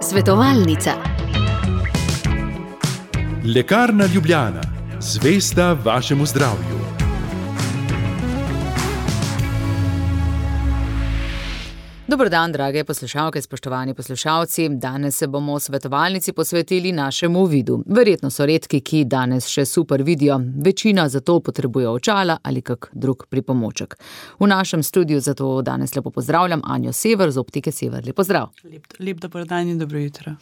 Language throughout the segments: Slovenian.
Svetovalnica. Lekarna Ljubljana, zvesta vašemu zdravju. Dober dan, drage poslušalke, spoštovani poslušalci. Danes se bomo v svetovalnici posvetili našemu vidu. Verjetno so redki, ki danes še super vidijo. Večina zato potrebuje očala ali kak drug pripomoček. V našem studiu zato danes lepo pozdravljam Anjo Sever z Optike Sever. Lep pozdrav. Lep dober dan in dobro jutro.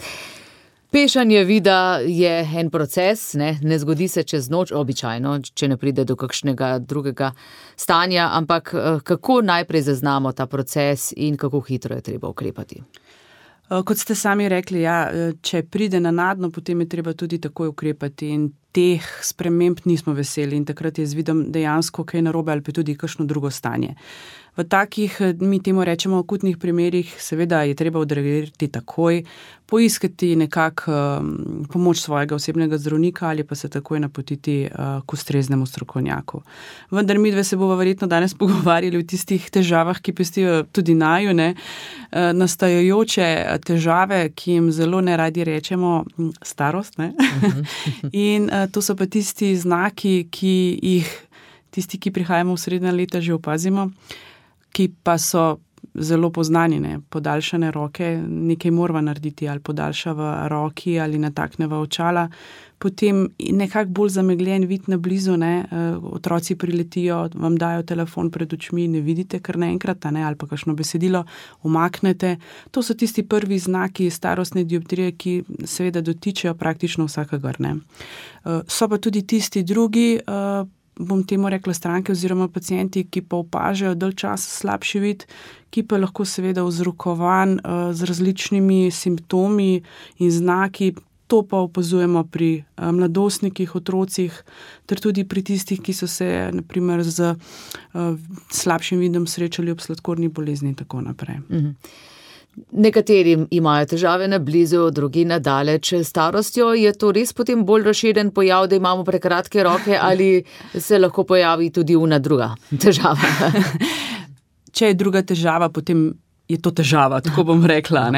Pešanje vida je en proces, ne zgodi se čez noč, običajno, če ne pride do kakšnega drugega stanja, ampak kako najprej zaznamo ta proces in kako hitro je treba ukrepati? Kot ste sami rekli, če pride nenadno, potem je treba tudi takoj ukrepati in teh sprememb nismo veseli in takrat je z vidom dejansko kaj narobe ali pa tudi kakšno drugo stanje. V takih, mi temu rečemo, akutnih primerih, seveda je treba odreagirati takoj, poiskati nekako pomoč svojega osebnega zdravnika ali pa se takoj napotiti k ustreznemu strokovnjaku. Vendar midve se bova verjetno danes pogovarjali o tistih težavah, ki pestijo tudi naju, nastajajoče težave, ki jim zelo neradi rečemo starost, In to so pa tisti znaki, ki jih tisti, ki prihajamo v srednja leta, že opazimo, ki pa so zelo poznani, podaljšane roke, nekaj morava narediti, ali podaljšava roki, ali natakneva očala, potem nekako bolj zamegljen vid na blizu, otroci priletijo, vam dajo telefon pred očmi, ne vidite kar naenkrat, ali pa kakšno besedilo umaknete. To so tisti prvi znaki starostne dioptrije, ki seveda dotičejo praktično vsakega. So pa tudi tisti drugi, bom temu rekla stranke oziroma pacienti, ki pa opažajo dalj časa slabši vid, ki pa lahko seveda vzrokovan z različnimi simptomi in znaki. To pa opazujemo pri mladostnikih, otrocih, ter tudi pri tistih, ki so se naprimer z slabšim vidom srečali ob sladkorni bolezni in tako naprej. Nekateri imajo težave na blizu, drugi na daleč. Starostjo je to res potem bolj razširjen pojav, da imamo prekratke roke, ali se lahko pojavi tudi una druga težava? Če je druga težava, potem je to težava, tako bom rekla.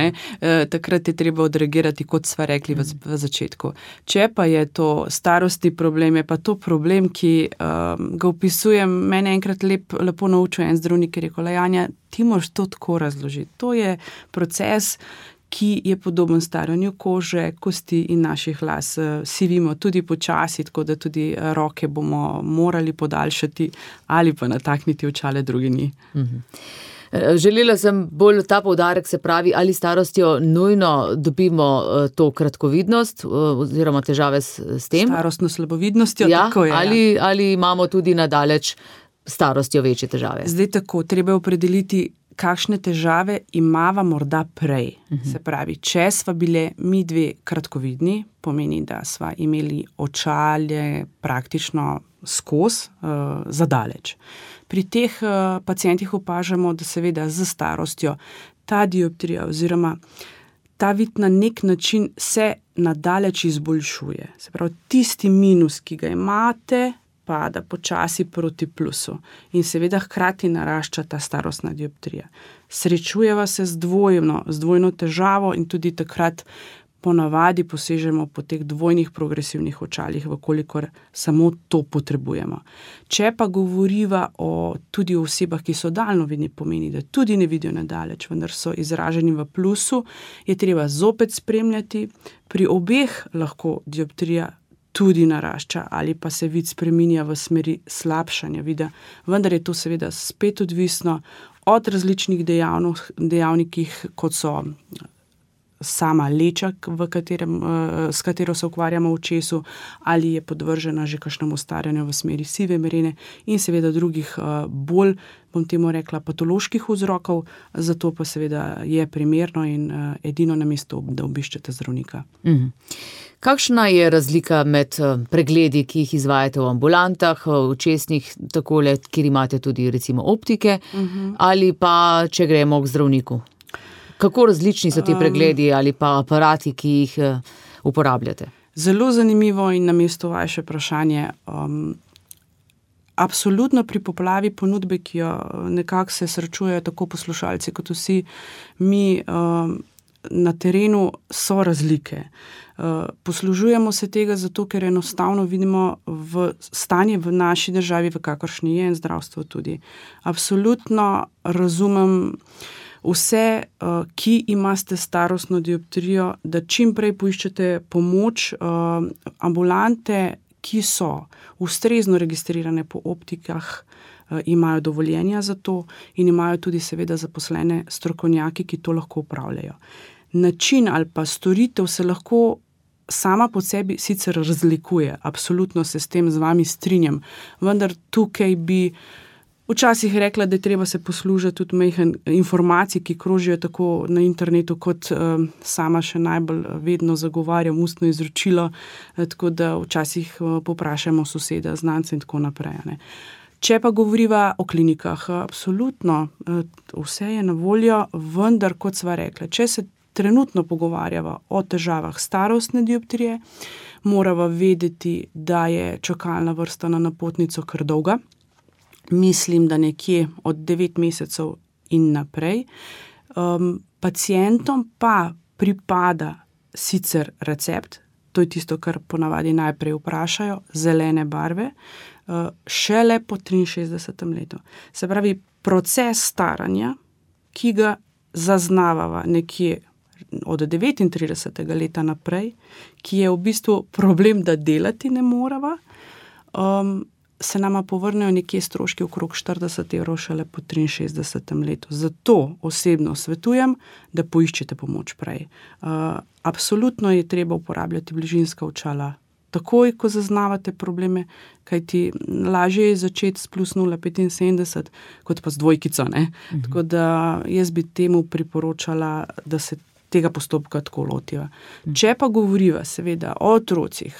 Takrat je treba odreagirati, kot sva rekli v začetku. Če pa je to starostni problem, je pa to problem, ki ga opisujem. Mene enkrat lepo naučil en zdravnik, ki je rekel, Janja, ti moraš to tako razložiti. To je proces, ki je podoben staranju kože, kosti in naših las. Sivimo tudi počasi, tako da tudi roke bomo morali podaljšati ali pa natakniti očale, drugi ni. Želela sem bolj ta poudarek, se pravi, ali starostjo nujno dobimo to kratkovidnost oziroma težave s tem? Starostno slabovidnostjo, tako je. Ali imamo tudi nadaleč starostjo večje težave? Zdaj tako, treba opredeliti, kakšne težave imava morda prej. Se pravi, če sva bile mi dve kratkovidni, pomeni, da sva imeli očalje praktično skozi zadaleč. Pri teh pacientih opažamo, da seveda z starostjo ta dioptrija oziroma ta vid na nek način se nadaleč izboljšuje. Se pravi, tisti minus, ki ga imate, pada počasi proti plusu in seveda hkrati narašča ta starostna dioptrija. Srečujeva se z dvojno težavo in tudi takrat ponavadi posežemo po teh dvojnih progresivnih očalih, vkolikor samo to potrebujemo. Če pa govoriva tudi o osebah, ki so daljnovidni, pomeni, da tudi ne vidijo nadaleč, vendar so izraženi v plusu, je treba zopet spremljati. Pri obeh lahko dioptrija tudi narašča ali pa se vid spreminja v smeri slabšanja vida, vendar je to seveda spet odvisno od različnih dejavnikih, kot so sama leča, s katero se ukvarjamo v očesu, ali je podvržena že kakšnemu staranju v smeri sive merene in seveda drugih bolj, bom temu rekla, patoloških vzrokov, zato pa seveda je primerno in edino na mestu, da obiščete zdravnika. Kakšna je razlika med pregledi, ki jih izvajate v ambulantah, v očesnih, takole, kjer imate tudi recimo optike, ali pa če gremo k zdravniku? Kako različni so ti pregledi ali pa aparati, ki jih uporabljate? Zelo zanimivo in na mestu vaše vprašanje. absolutno pri poplavi ponudbe, ki jo nekako se srečujejo tako poslušalci kot vsi mi na terenu, so razlike. Poslužujemo se tega zato, ker enostavno vidimo stanje v naši državi, v kakršni je in zdravstvo tudi. Absolutno razumem vse, ki imate starostno dioptrijo, da čim prej poiščete pomoč. Ambulante, ki so ustrezno registrirane po optikah, imajo dovoljenja za to in imajo tudi seveda zaposlene strokovnjaki, ki to lahko upravljajo. Način ali pa storitev se lahko sama po sebi sicer razlikuje, absolutno se s tem z vami strinjam, vendar tukaj bi včasih rekla, da je treba se poslužiti tudi majhen informacij, ki krožijo tako na internetu, kot sama še najbolj vedno zagovarjam ustno izročilo, tako da včasih poprašamo soseda, znance in tako naprej. Ne. Če pa govoriva o klinikah, absolutno vse je na voljo, vendar, kot sva rekla, če se trenutno pogovarjava o težavah starostne dioptrije, morava vedeti, da je čakalna vrsta na napotnico kar dolga. Mislim, da nekje od 9 mesecev in naprej. Pacientom pa pripada sicer recept, to je tisto, kar ponavadi najprej vprašajo, zelene barve, šele po 63. letu. Se pravi, proces staranja, ki ga zaznavava nekje od 39. leta naprej, ki je v bistvu problem, da delati ne morava, se nama povrnejo nekje stroški okrog 40 € šele po 63. letu. Zato osebno svetujem, da poiščete pomoč prej. Absolutno je treba uporabljati bližinska očala takoj, ko zaznavate probleme, kajti lažje je začeti s plus 0,75, kot pa s dvojkico, ne? Tako da jaz bi temu priporočala, da se tega postopka tako lotiva. Če pa govoriva seveda o otrocih,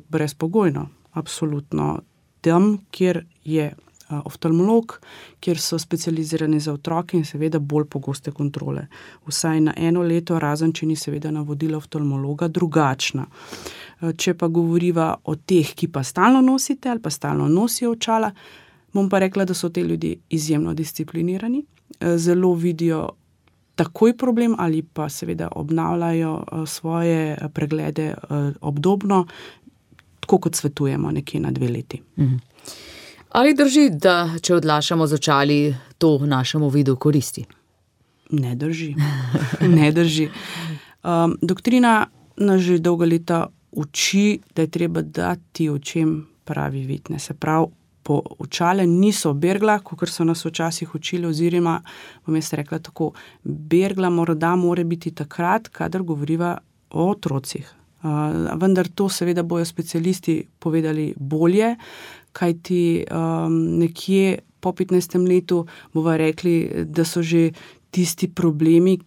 brezpogojno, absolutno tam, kjer je oftalmolog, kjer so specializirani za otroke in seveda bolj pogoste kontrole. Vsaj na 1 leto, razen če ni seveda navodila oftalmologa drugačna. Če pa govoriva o teh, ki pa stalno nosite ali pa stalno nosijo očala, bom pa rekla, da so te ljudje izjemno disciplinirani, zelo vidijo takoj problem ali pa seveda obnavljajo svoje preglede obdobno, tako kot svetujemo nekje na 2 leti. Ali drži, da če odlašamo z očali, to našemu vidu koristi? Ne drži. Ne drži. Doktrina nas že dolga leta uči, da je treba dati očem pravi vid. Se pravi, očale niso bergla, kakor so nas včasih učili, oziroma, bom jaz rekla tako, bergla morda more biti takrat, kadar govoriva o otrocih. Vendar to seveda bojo specialisti povedali bolje, kajti nekje po 15. letu bova rekli, da so že tisti problemi,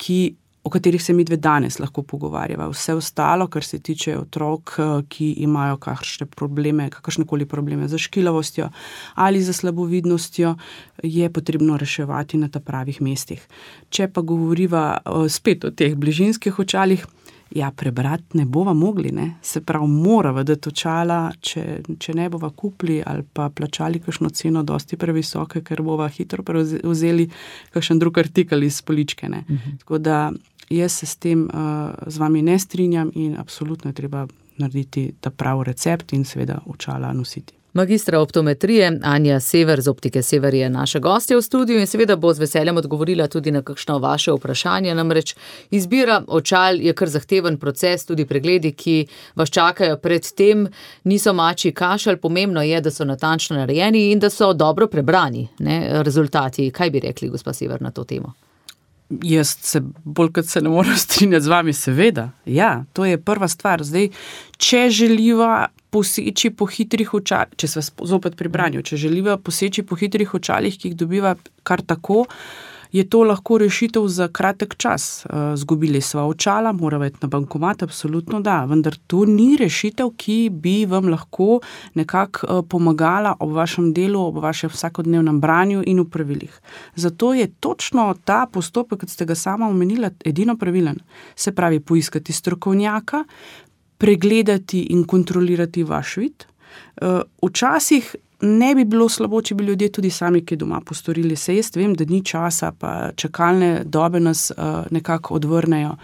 o katerih se midve danes lahko pogovarjava. Vse ostalo, kar se tiče otrok, ki imajo kakršnekoli probleme za škilavostjo ali za slabovidnostjo, je potrebno reševati na ta pravih mestih. Če pa govoriva spet o teh bližinskih očalih, prebrati ne bova mogli, ne? Se pravi, morava dati očala, če ne bova kupili ali pa plačali kakšno ceno dosti previsoke, ker bova hitro vzeli kakšen drug artikel iz poličke, ne? Tako da jaz se s tem z vami ne strinjam in absolutno je treba narediti ta pravi recept in seveda očala nositi. Magistra optometrije Anja Sever z Optike Sever je naša gostja v studiu in seveda bo z veseljem odgovorila tudi na kakšno vaše vprašanje. Namreč izbira očal je kar zahteven proces, tudi pregledi, ki vas čakajo pred tem, niso mačji kašelj. Pomembno je, da so natančno narejeni in da so dobro prebrani, ne, rezultati. Kaj bi rekli, gospa Sever, na to temo? Jaz se bolj kot se ne morem strinjati z vami, seveda. Ja, to je prva stvar. Zdaj, če želiva poseči po hitrih očalih, če sva zopet pri branju, če želiva poseči po hitrih očalih, ki jih dobiva kar tako, je to lahko rešitev za kratek čas. Zgubili sva očala, morava iti na bankomat, absolutno da, vendar to ni rešitev, ki bi vam lahko nekako pomagala ob vašem delu, ob vašem vsakodnevnem branju in upravilih. Zato je točno ta postopek, kot ste ga sama omenila, edino pravilen. Se pravi, poiskati strokovnjaka, pregledati in kontrolirati vaš vid. Včasih ne bi bilo slabo, če bi ljudje tudi sami kaj doma postorili. Se jaz vem, da ni časa, pa čakalne dobe nas nekako odvrnejo.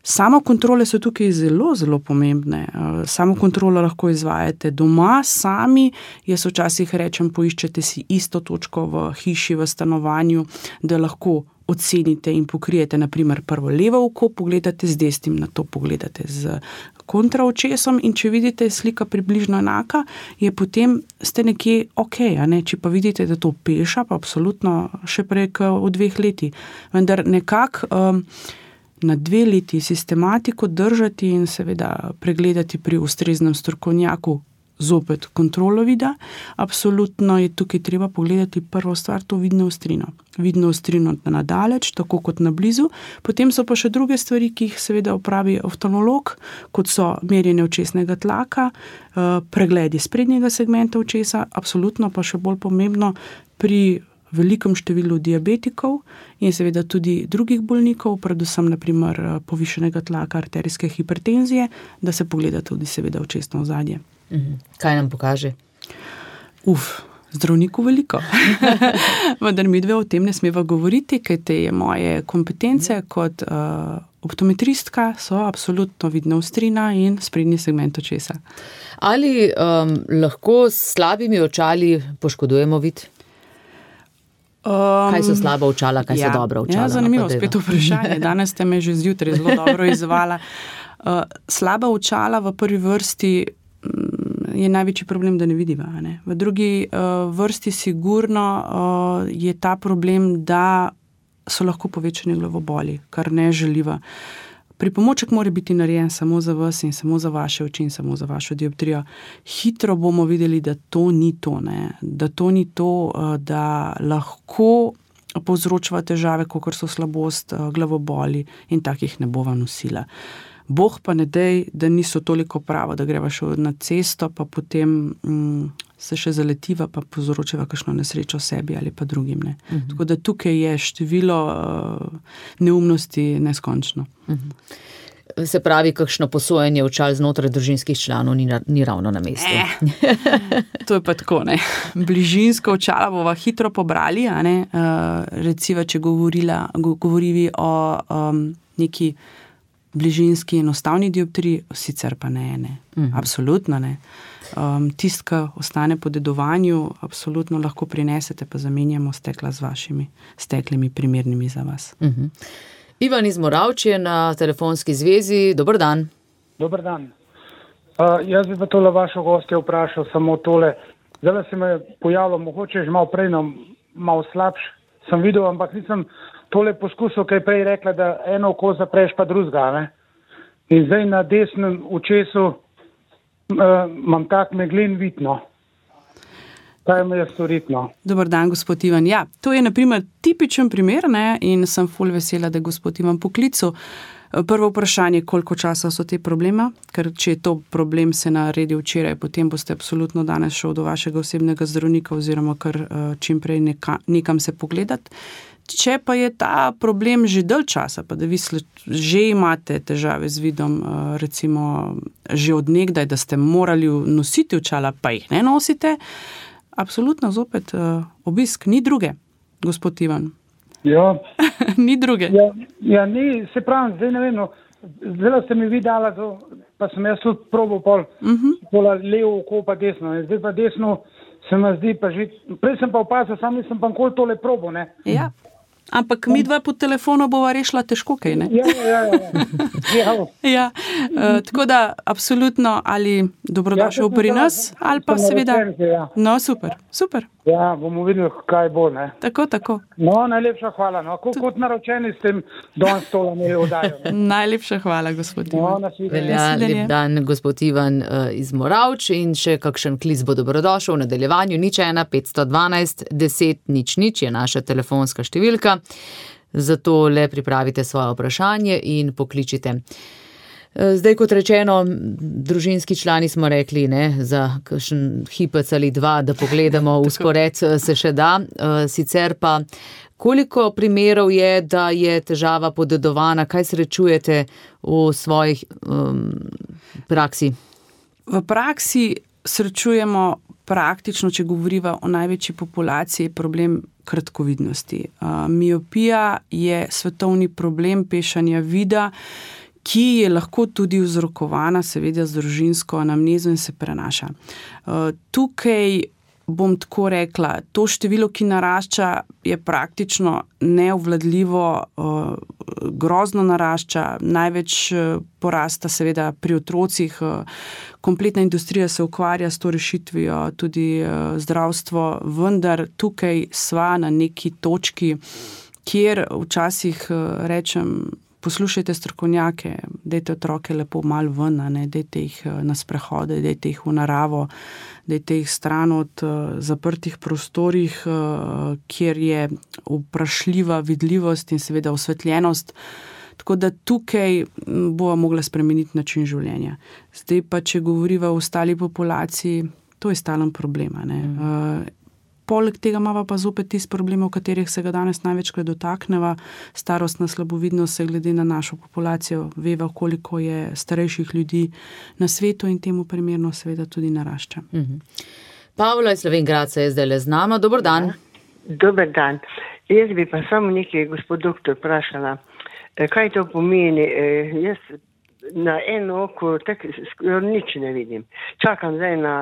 Samokontrole so tukaj zelo, zelo pomembne. Samokontrolo lahko izvajate doma, sami. Jaz včasih rečem, poiščete si isto točko v hiši, v stanovanju, da lahko ocenite in pokrijete, naprimer, prvo levo oko, pogledate z desnim, na to pogledate z kontraočesom in če vidite, slika približno enaka, je potem ste nekje okej, a ne? Če pa vidite, da to peša, pa absolutno še prej v 2 letih. Vendar nekako na 2 leti sistematiko držati in seveda pregledati pri ustreznem strokovnjaku zopet kontrolo vida. Absolutno je tukaj treba pogledati prvo stvar, to vidno ostrino. Vidno ostrino na daleč, tako kot na blizu. Potem so pa še druge stvari, ki jih seveda opravi oftalmolog, kot so merjenje očesnega tlaka, pregledi sprednjega segmenta očesa, absolutno pa še bolj pomembno pri velikem številu diabetikov in seveda tudi drugih bolnikov, predvsem naprimer povišenega tlaka, arterijske hipertenzije, da se pogleda tudi seveda očesno ozadje. Kaj nam pokaže? Zdravniku veliko. Vendar mi dve o tem ne smeva govoriti, kaj te je moje kompetence kot optometristka so absolutno vidna ostrina in sprednji segment očesa. Ali lahko s slabimi očali poškodujemo vid? Kaj so slaba očala, kaj so dobra očala? Zanimivo, spet vprašanje. Danes ste me že zjutraj zelo dobro izvala. Slaba očala v prvi vrsti je največji problem, da ne vidiva. Ne? V drugi vrsti sigurno je ta problem, da so lahko povečani glavoboli, kar ne želiva. Pripomoček mora biti narejen samo za vas in samo za vaše oči in samo za vašo dioptrijo. Hitro bomo videli, da to ni to, ne? Da to ni to, da lahko povzročava težave, kakor so slabost, glavoboli in takih ne bova nosila. Bog pa ne dej, da niso toliko pravo, da greva še na cesto, pa potem se še zaletiva, pa povzročava kakšno nesrečo sebi ali pa drugim. Ne. Tako da tukaj je število neumnosti neskončno. Se pravi, kakšno posojanje očal znotraj družinskih članov ni ravno na mestu. To je pa tako, ne. Bližinsko očala bova hitro pobrali, a ne. Recimo, če govorivi o neki bližinski enostavni dioptriji, sicer pa ne. Absolutno ne. Tistka ostane po dedovanju, absolutno lahko prinesete, pa zamenjamo stekla z vašimi steklimi primernimi za vas. Ivan iz Moravč je na telefonski zvezi. Dober dan. Dober dan. Jaz bi pa tole vašo gostjo vprašal samo tole. Zdaj se me je pojavilo, mogoče že malo prej, malo slabš sem videl, ampak nisem tole poskusil, kaj prej rekla, da eno oko zapreš pa drugega, ne? In zdaj na desnem očesu imam tak meglen vid, no. Kaj me je storiti, no? Dobar dan, gospod Ivan. Ja, to je na primer tipičen primer, ne, in sem ful vesela, da je gospod Ivan poklical. Prvo vprašanje, koliko časa so te problema, ker če je to problem se naredi včeraj, potem boste absolutno danes šel do vašega osebnega zdravnika oziroma kar čim prej nekam se pogledati. Če pa je ta problem že dalj časa, pa da vi že imate težave z vidom, recimo že od nekdaj, da ste morali nositi očala, pa jih ne nosite, absolutno zopet obisk, ni druge, gospod Ivan. Ja. Ni druge. Ja, ni, se pravim, zdaj ne vem, no, zdaj ste mi vi dala, pa sem jaz tudi probal pola levo oko pa desno, zdaj pa desno se mi zdi pa že, prej sem pa opazil, sam nisem pa nikoli tole probal, ne. Ja, ampak mi dva po telefonu bova rešila težko kaj, ne? Ja, tako da absolutno ali dobrodošel pri nas, ali pa seveda. No, super. Ja, bomo videli, kaj bo, ne. Tako. No, najlepša hvala, no, kot naročeni s tem danes tole mi oddajo. Najlepša hvala, gospod Ivan. Lep dan, gospod Ivan iz Moravč, in še kakšen klic bo dobrodošel v nadaljevanju. 01 512 10 00 je naša telefonska številka. Zato le pripravite svoje vprašanje in pokličite. Zdaj, kot rečeno, družinski člani smo rekli, ne, za kakšen hipec ali dva, da pogledamo vzpored se še da. Sicer pa, koliko primerov je, da je težava podedovana, kaj srečujete v svojih praksi? V praksi srečujemo praktično, če govoriva o največji populaciji, je problem kratkovidnosti. Miopija je svetovni problem pešanja vida, ki je lahko tudi vzrokovana seveda z družinsko anamnezo in se prenaša. Tukaj bom tako rekla, to število, ki narašča, je praktično neobvladljivo, grozno narašča, največ porasta seveda pri otrocih, kompletna industrija se ukvarja s to rešitvijo, tudi zdravstvo, vendar tukaj sva na neki točki, kjer včasih rečem, poslušajte strokovnjake, dajte otroke lepo malo ven, dajte jih na sprehode, dajte jih v naravo, dajte jih stran od zaprtih prostorih, kjer je vprašljiva vidljivost in seveda osvetljenost. Tako da tukaj bova mogla spremeniti način življenja. Zdaj pa, če govoriva o ostali populaciji, to je stalen problem. Poleg tega imava pa zopet tisti problem, o katerih se ga danes največkrat dotakneva, starostna slabovidnost se glede na našo populacijo, veva, koliko je starejših ljudi na svetu in temu primerno seveda tudi narašča. Pavla iz Slovenj Gradca je zdaj z nama. Dober dan. Dober dan. Jaz bi pa samo nekaj, gospod doktor, vprašala. Kaj to pomeni? Jaz na eno oko nič ne vidim. Čakam zdaj na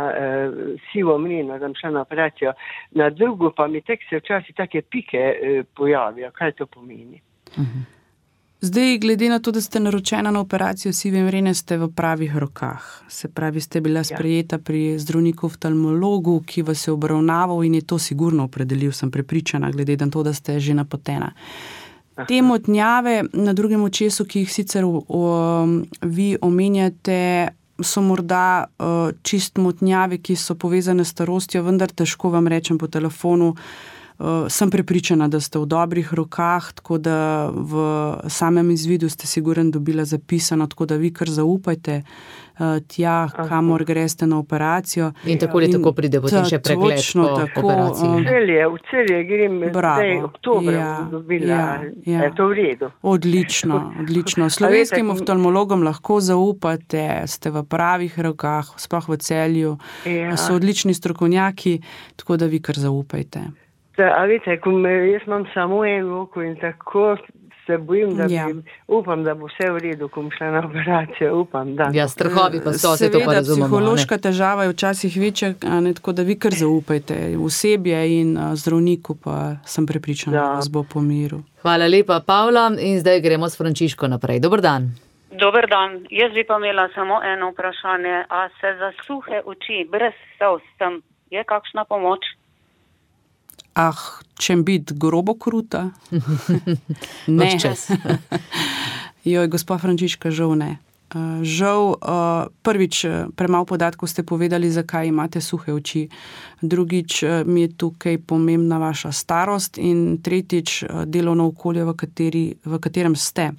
sivo mlino, da bom šla na operacijo. Na drugo pa mi se včasih take pike pojavijo. Kaj to pomeni? Zdaj, glede na to, da ste naročena na operacijo sive mrene, ste v pravih rokah. Se pravi, ste bila sprejeta pri zdravniku oftalmologu, ki vas je obravnaval in je to sigurno opredelil, sem prepričana, glede na to, da ste že napotena. Te motnjave na drugem očesu, ki jih sicer vi omenjate, so morda čist motnjave, ki so povezane s starostjo, vendar težko vam rečem po telefonu. Sem prepričana, da ste v dobrih rokah, tako da v samem izvidu ste siguren dobila zapisano, tako da vi kar zaupajte tja, kamor greste na operacijo. In tako ali tako pride potem še pregled po operaciji. V Celje grem zdaj oktobra dobila. Je to v redu? Odlično. Slovenskim oftalmologom lahko zaupate, ste v pravih rokah, sploh v Celju. So odlični strokovnjaki, tako da vi kar zaupajte. A veste, jaz imam samo eno oko in tako se bojim, da upam, da bo vse v redu, ko bom šla na operacijo, upam, da. Ja, strahovi pa so, se to pa razumemo. Psihološka težava je včasih večja, tako da vi kar zaupajte osebje in zdravniku, pa sem prepričana, da vas bo pomiril. Hvala lepa, Pavla, in zdaj gremo s Frančiško naprej. Dober dan. Dober dan. Jaz bi pa imela samo eno vprašanje. A se za suhe oči, brez solz, tam je kakšna pomoč? Čem biti grobo kruta? Ne. Joj, gospa Frančiška, žal ne. Žal, prvič, premalo podatkov ste povedali, zakaj imate suhe oči. Drugič, mi je tukaj pomembna vaša starost in tretjič, delovno okolje, v katerem ste.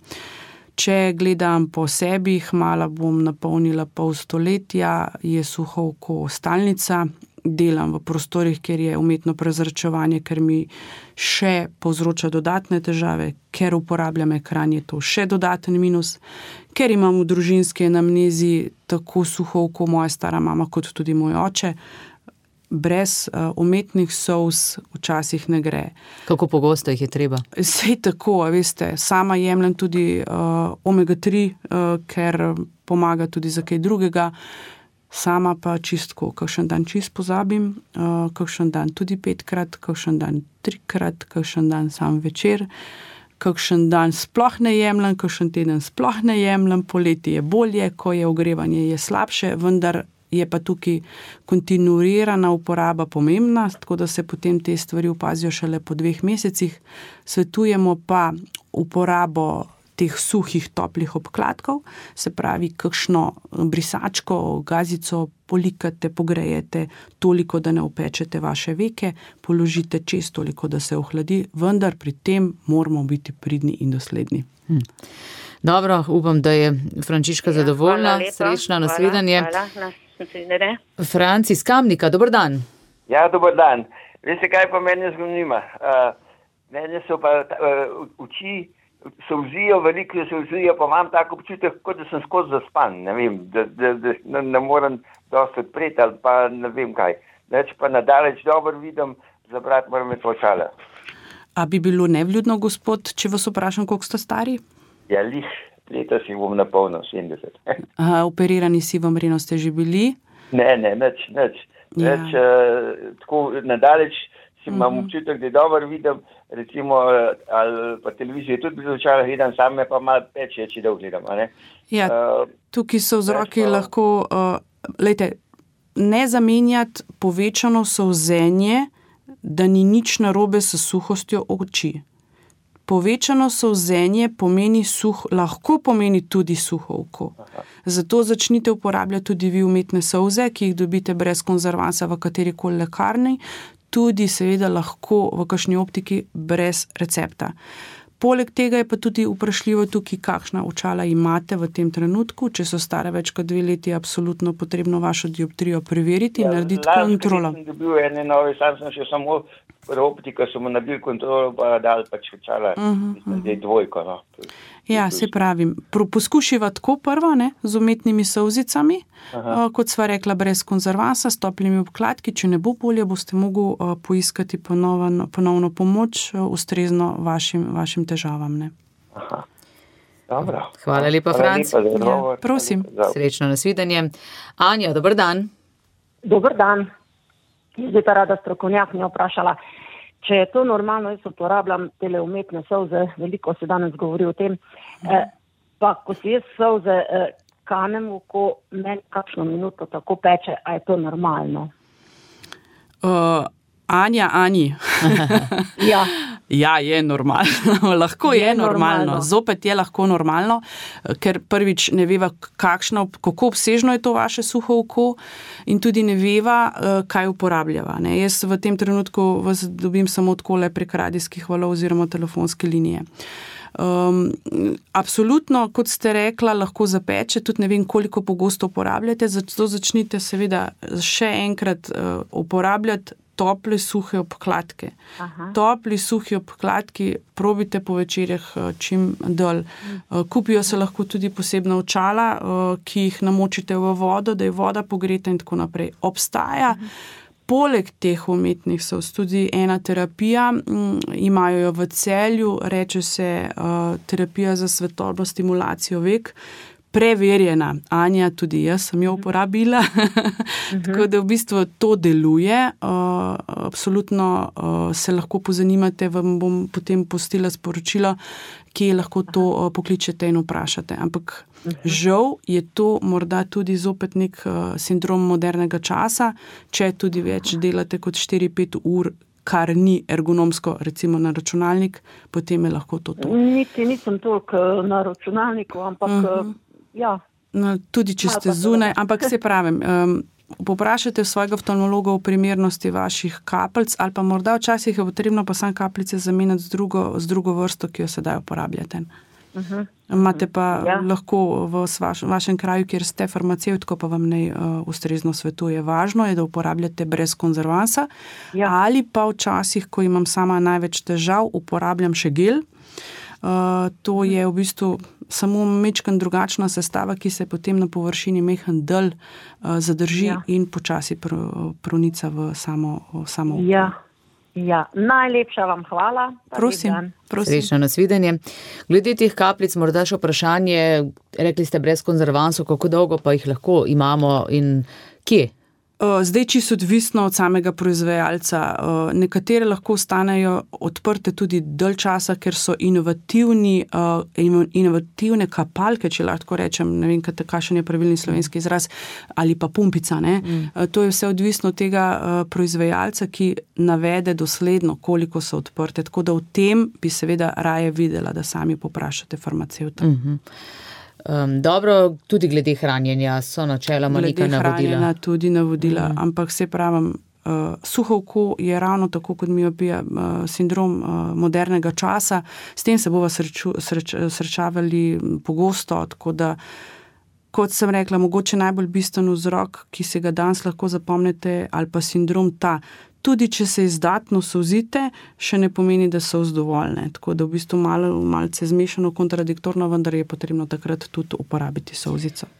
Če gledam po sebi, hmala bom napolnila pol stoletja, je suho oko stalnica. Delam v prostorih, kjer je umetno prezračevanje, ker mi še povzroča dodatne težave, ker uporabljam ekran, je to še dodaten minus, ker imam v družinski anamnezi tako suho oko moja stara mama, kot tudi moj oče. Brez umetnih solz včasih ne gre. Kako pogosto jih je treba? Sej tako, veste, sama jemljem tudi omega-3, ker pomaga tudi za kaj drugega. Sama pa čistko, kakšen dan čist pozabim, kakšen dan tudi 5-krat, kakšen dan 3-krat, kakšen dan sam večer, kakšen dan sploh ne jemljem, kakšen teden sploh ne jemljem, poleti je bolje, ko je ogrevanje je slabše, vendar je pa tukaj kontinuirana uporaba pomembna, tako da se potem te stvari opazijo šele po 2 mesecih. Svetujemo pa uporabo teh suhih, toplih obkladkov, se pravi, kakšno brisačko, gazico polikate, pogrejete toliko, da ne opečete vaše veke, položite čez toliko, da se ohladi, vendar pri tem moramo biti pridni in dosledni. Dobro, upam, da je Frančiška zadovoljna, srečna, nasledanje. Franci iz Kamnika, dober dan. Ja, dober dan. Veste, kaj pa mene zanima? Mene so pa oči, solzijo, veliko solzijo, pa imam tako občutek, kot da sem skozi zaspan, ne vem, da ne morem dosti odpreti ali pa ne vem kaj. Neč pa nadaleč dobro vidim, zabrati moram imeti očala. A bi bilo nevljudno, gospod, če vas vprašam, koliko ste stari? Ja, leta si bom napolnil 70. Operirani sivom reno ste že bili? Ne, nič. Ja. Tako nadaleč si imam občutek, da dobro vidim, recimo, ali pa televizijo tudi bi začala gledam, sam me pa malo peče, če dolgo gledam, a ne? Ja, tukaj so vzroki lahko, lejte, ne zamenjati povečano solzenje, da ni nič narobe s suhostjo oči. Povečano solzenje lahko pomeni tudi suho oko. Zato začnite uporabljati tudi vi umetne solze, ki jih dobite brez konzervansa v katerikoli lekarni, tudi seveda lahko v kakšni optiki brez recepta. Poleg tega je pa tudi vprašljivo tukaj, kakšna očala imate v tem trenutku. Če so stare več kot 2 leti, je absolutno potrebno vašo dioptrijo preveriti in narediti kontrolo. Sem dobil ene nove, sam sem še samo optika, so mu nabil kontrolo, pa dal pač očala, zdaj 2, no. Ja, se pravim, poskušiva tako prvo, ne, z umetnimi solzicami, kot sva rekla, brez konzervansa, s toplimi obkladki, če ne bo bolje, boste mogli poiskati ponovno pomoč, ustrezno vašim težavam, ne. Dobro. Hvala lepa, Franc. Prosim. Srečno nasvidenje. Anja, dober dan. Dober dan. Jaz bi pa rada strokovnjakinjo vprašala, če je to normalno, jaz uporabljam tele umetne solze, veliko se danes govori o tem, pa ko si jaz solze kanem v oko, meni kakšno minuto tako peče, a je to normalno? Anji. Ja. Ja, je normalno, lahko je normalno, zopet je lahko normalno, ker prvič ne veva, kako obsežno je to vaše suho oko in tudi ne veva, kaj uporabljava. Ne. Jaz v tem trenutku vas dobim samo takole prek radijskih valov oziroma telefonske linije. Absolutno, kot ste rekla, lahko zapeče, tudi ne vem, koliko pogosto uporabljate, zato začnite seveda še enkrat uporabljati tople suhe obkladke. Topli suhi obkladki probite po večerjah čim dol. Kupijo se lahko tudi posebna očala, ki jih namočite v vodo, da je voda pogreta in tako naprej. Obstaja poleg teh umetnih solz tudi ena terapija, imajo jo v Celju, reče se terapija za svetlobno stimulacijo vek, preverjena. Anja, tudi jaz sem jo uporabila, tako da v bistvu to deluje. Absolutno se lahko pozanimate, vam bom potem postila sporočilo, kje lahko to pokličete in vprašate. Ampak žal je to morda tudi zopet nek sindrom modernega časa, če tudi več delate kot 4-5 ur, kar ni ergonomsko, recimo na računalnik, potem je lahko to. Niti nisem toliko na računalniku, ampak ja. No, tudi če ste zunaj, ampak se pravim, poprašajte svojega oftalmologa o primernosti vaših kapljic ali pa morda včasih je potrebno pa sam kapljice zamenjati z drugo vrsto, ki jo sedaj uporabljate. Imate pa lahko v vašem kraju, kjer ste farmacevtko, pa vam ne ustrezno svetuje. Važno je, da uporabljate brez konzervansa ali pa včasih, ko imam sama največ težav, uporabljam še gel. To je v bistvu samo mečkan drugačna sestava, ki se potem na površini mehen del zadrži in počasi pronica v samo oko. Ja, najlepša vam hvala. Prosim. Srečno nasvidenje. Glede teh kapljic, morda še vprašanje, rekli ste brez konzervansov, kako dolgo pa jih lahko imamo in kje? Zdaj čisto odvisno od samega proizvajalca. Nekatere lahko ostanejo odprte tudi dalj časa, ker so inovativne kapalke, če lahko rečem, ne vem, kakšen je pravilni slovenski izraz, ali pa pumpica. Ne? To je vse odvisno od tega proizvajalca, ki navede dosledno, koliko so odprte. Tako da v tem bi seveda raje videla, da sami poprašate farmacevta. Dobro, tudi glede hranjenja so načeloma neka navodila. Glede hranjenja tudi navodila, ampak se pravim, suho oko je ravno tako kot miopija, sindrom modernega časa, s tem se bova srečavali pogosto, tako da, kot sem rekla, mogoče najbolj bistven vzrok, ki se ga danes lahko zapomnite, ali pa sindrom ta, tudi če se izdatno solzite, še ne pomeni, da so dovoljne. Tako da v bistvu malce zmešano, kontradiktorno, vendar je potrebno takrat tudi uporabiti solzico.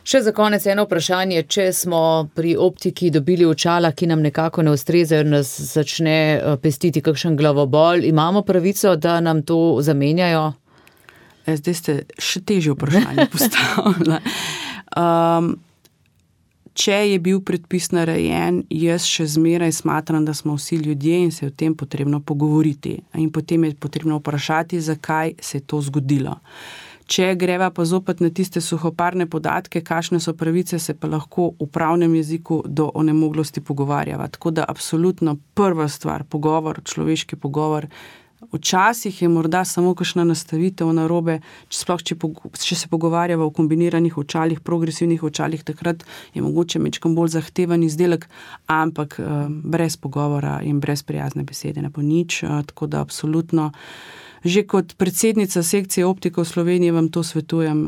Še za konec eno vprašanje, če smo pri optiki dobili očala, ki nam nekako ne ustrezajo, nas začne pestiti kakšen glavobol, imamo pravico, da nam to zamenjajo? Zdaj ste še težje vprašanje postavili. Če je bil predpis narejen, jaz še zmeraj smatram, da smo vsi ljudje in se je o tem potrebno pogovoriti. In potem je potrebno vprašati, zakaj se je to zgodilo. Če greva pa zopet na tiste suhoparne podatke, kakšne so pravice, se pa lahko v pravnem jeziku do onemoglosti pogovarjava. Tako da absolutno prva stvar, pogovor, človeški pogovor. Včasih je morda samo kakšna nastavitev narobe, če se pogovarjava o kombiniranih očalih, progresivnih očalih, takrat je mogoče mečkam bolj zahteven izdelek, ampak brez pogovora in brez prijazne besede ne bo nič, tako da absolutno. Že kot predsednica sekcije optika v Sloveniji vam to svetujem,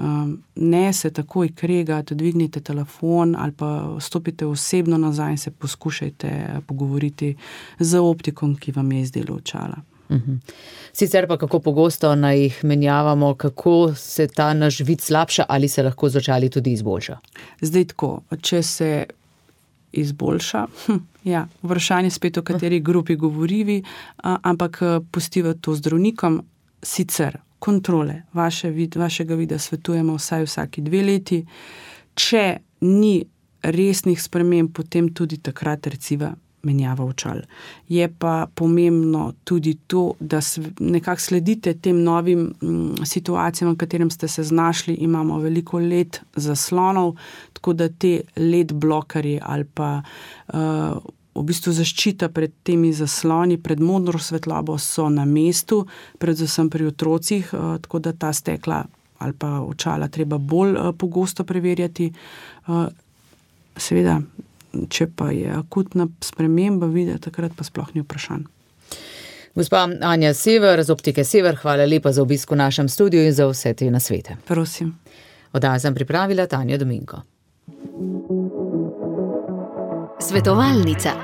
ne se takoj kregati, dvignite telefon ali pa stopite osebno nazaj in se poskušajte pogovoriti z optikom, ki vam je izdelo očala. Sicer pa kako pogosto naj jih menjavamo, kako se ta naš vid slabša ali se lahko z očali tudi izboljša? Zdaj tako, če se izboljša, vprašanje spet o kateri grupi govorivi, ampak pustiva to zdravnikom, sicer kontrole vašega vida svetujemo vsaj vsaki 2 leti, če ni resnih sprememb, potem tudi takrat reciva menjava očal. Je pa pomembno tudi to, da nekako sledite tem novim situacijam, v katerem ste se znašli. Imamo veliko LED zaslonov, tako da te LED blokerji ali pa v bistvu zaščita pred temi zasloni, pred modro svetlobo so na mestu, predvsem pri otrocih, tako da ta stekla ali pa očala treba bolj pogosto preverjati. Seveda, če pa je akutna sprememba vida, takrat pa sploh ni vprašanj. Gospa Anja Sever z Optike Sever, hvala lepa za obisk v našem studiu in za vse te nasvete. Prosim. Oddajo sem pripravila Tanja Dominko. Svetovalnica.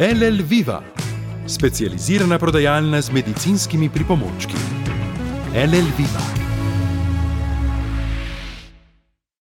LL Viva, specializirana prodajalna z medicinskimi pripomočki. LL Viva.